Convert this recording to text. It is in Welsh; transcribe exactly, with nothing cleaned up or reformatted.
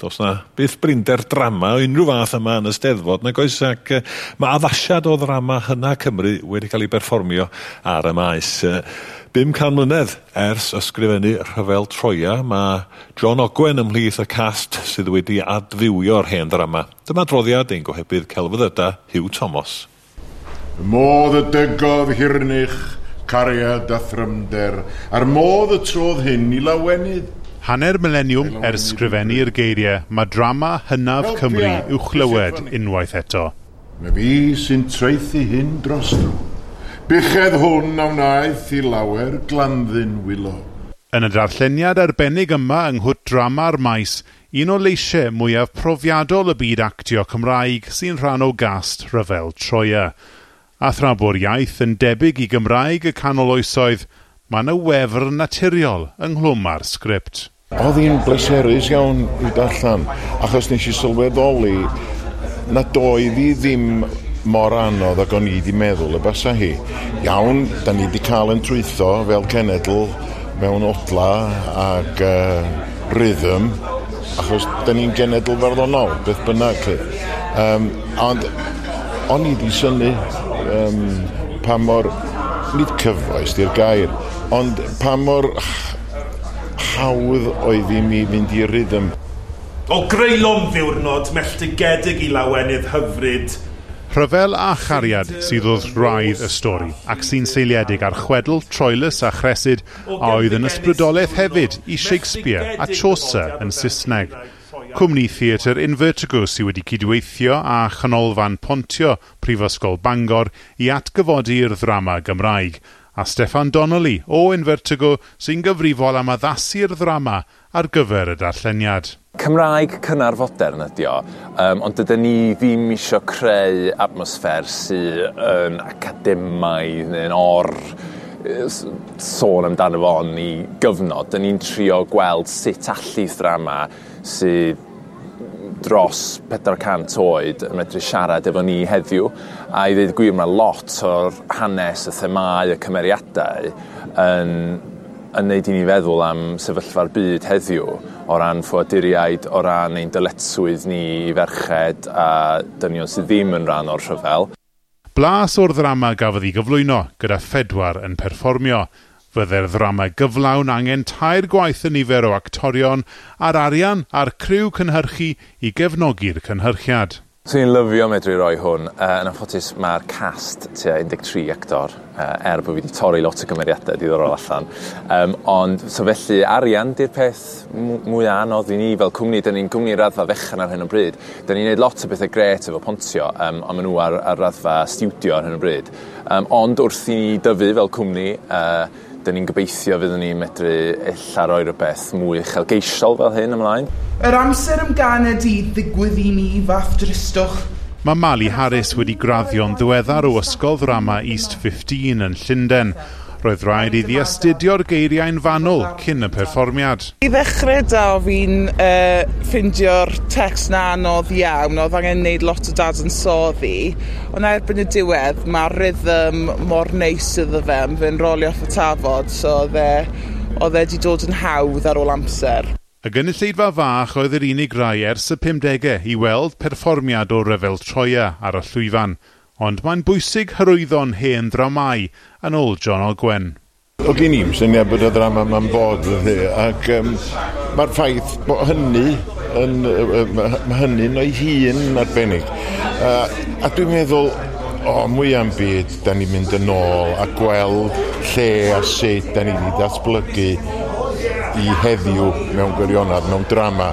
Does 'na byth brinder drama o unrhyw fath yma yn y Steddfod, nag oes, ac uh, mae addasiad o ddrama hynna Cymru wedi cael ei berfformio ar y maes. Uh, bum can mlynedd ers ysgrifennu Rhyfel Troia, mae John Ogwen ymhlith y cast sydd wedi adfywio'r hen ddrama. Dyma adroddiad ein gohebydd celfyddyda, Huw Thomas. Y modd y dygodd hirnych, cariad a thrymder, a'r modd y trodd hyn i lawenydd. Hanner mileniwm ers sgrifennu'r geiriau, mae drama hynaf Cymru i'w chlywed unwaith eto. Mae fi sy'n traethu hyn dros dro. Buchedd hwn a wnaeth i lawer glanddyn wylo. Yn y darlleniad arbennig yma yng Nghwt Drama'r Maes, un o leisiau mwyaf profiadol y byd actio Cymraeg sy'n rhan o gast Rhyfel Troia. A thra bo'r iaith yn debyg i Gymraeg y canol oesoedd, mae yna wefr naturiol ynghlwm â'r sgript. Oedd hi'n bleserus iawn i darllen, achos nes i sylweddoli nad oedd hi ddim mor anodd ag o'n i wedi meddwl y basa hi. Iawn, da ni wedi cael yn trwytho fel cenedl mewn odla ac uh, rhythm, achos da ni'n genedl farddonol, beth bynnag. Um, ond o'n i wedi synnu um, pa mor, nid cyfoes di'r gair, ond pa mor hawdd oedd i mi fynd i'r rhythm. O greulon ddiwrnod melltigedig i lawenydd hyfryd. Rhyfel a chariad sydd wrth wraidd y stori, ac sy'n seiliedig ar chwedl, Troilus a Chresyd, a oedd yn ysbrydoliaeth hefyd i Shakespeare a Chaucer yn Saesneg. Cwmni theatr Invertigo sydd wedi cydweithio â Chanolfan Pontio Prifysgol Bangor i atgyfodi'r ddrama Gymraeg, a Steffan Donnelly o Invertigo sy'n gyfrifol am addasu'r ddrama ar gyfer y darlleniad. Cymraeg cynnar fodern ydi o, um, ond dydyn ni ddim isio creu atmosffer sydd yn academaidd neu'n or sôn amdano fo yn ei gyfnod. Dyn ni'n trio gweld sut allith ddrama sydd dros pedwar cant oed yn medru siarad efo ni heddiw. A i ddweud y gwir, mae lot o'r hanes, y themâu, y cymeriadau yn, yn neud i ni feddwl am sefyllfa'r byd heddiw o ran ffoaduriaid, o ran ein dyletswydd ni i ferched a dynion sydd ddim yn rhan o'r rhyfel. Blas o'r ddrama gafodd ei gyflwyno gyda phedwar yn perfformio. Fydde'r ddrama gyflawn angen tair gwaith y nifer o actorion a'r arian a'r criw cynhyrchu i gefnogi'r cynhyrchiad. Swn i'n lyfio medru roi hwn. Uh, yn anffodus mae'r cast tua un deg tri actor, uh, er bod fi wedi torri lot o gymeriadau diddorol allan. Um, ond so felly arian di'r peth mwy anodd i ni fel cwmni. Dyn ni'n cwmni raddfa fechan ar hyn o bryd. Dyn ni'n neud lot o bethau grêt efo Pontio, um, ond maen nhw ar, ar raddfa stiwdio ar hyn o bryd. Um, ond wrth i ni dyfu fel cwmni, uh, dyn ni'n gobeithio fyddwn ni'n medru ella roi rhywbeth mwy uchelgeisiol fel hyn ymlaen. Yr amser ymganed i ddigwydd i mi fath dristwch. Mae Mali Harris wedi graddio'n ddiweddar o Ysgol Ddrama East fifteen yn Llundain. Roedd rhaid iddi astudio'r geiriau'n fanwl cyn y perfformiad. I ddechrau da, fi'n uh, ffeindio'r text na anodd iawn, oedd angen gwneud lot o dadansoddi, ond erbyn y diwedd mae'r rhythm mor neis iddo fe, fe'n rolio off y tafod, so oedd e, oedd e wedi dod yn hawdd ar ôl amser. Y gynulleidfa fach oedd yr unig rai ers y pumdegau i weld perfformiad o Ryfel Troia ar y llwyfan, ond mae'n bwysig hyrwyddo'n hen ddramâu, yn ôl John Ogwen. O gen i'm syniad bod y ddrama yma'n bod, ac um, mae'r ffaith bod hynny yn, mae hynny'n o'i hun arbennig. Uh, a dwi'n meddwl, o, mwy am byd, da ni'n mynd yn ôl a gweld lle a sut da ni wedi datblygu i heddiw mewn gwirionedd, mewn drama.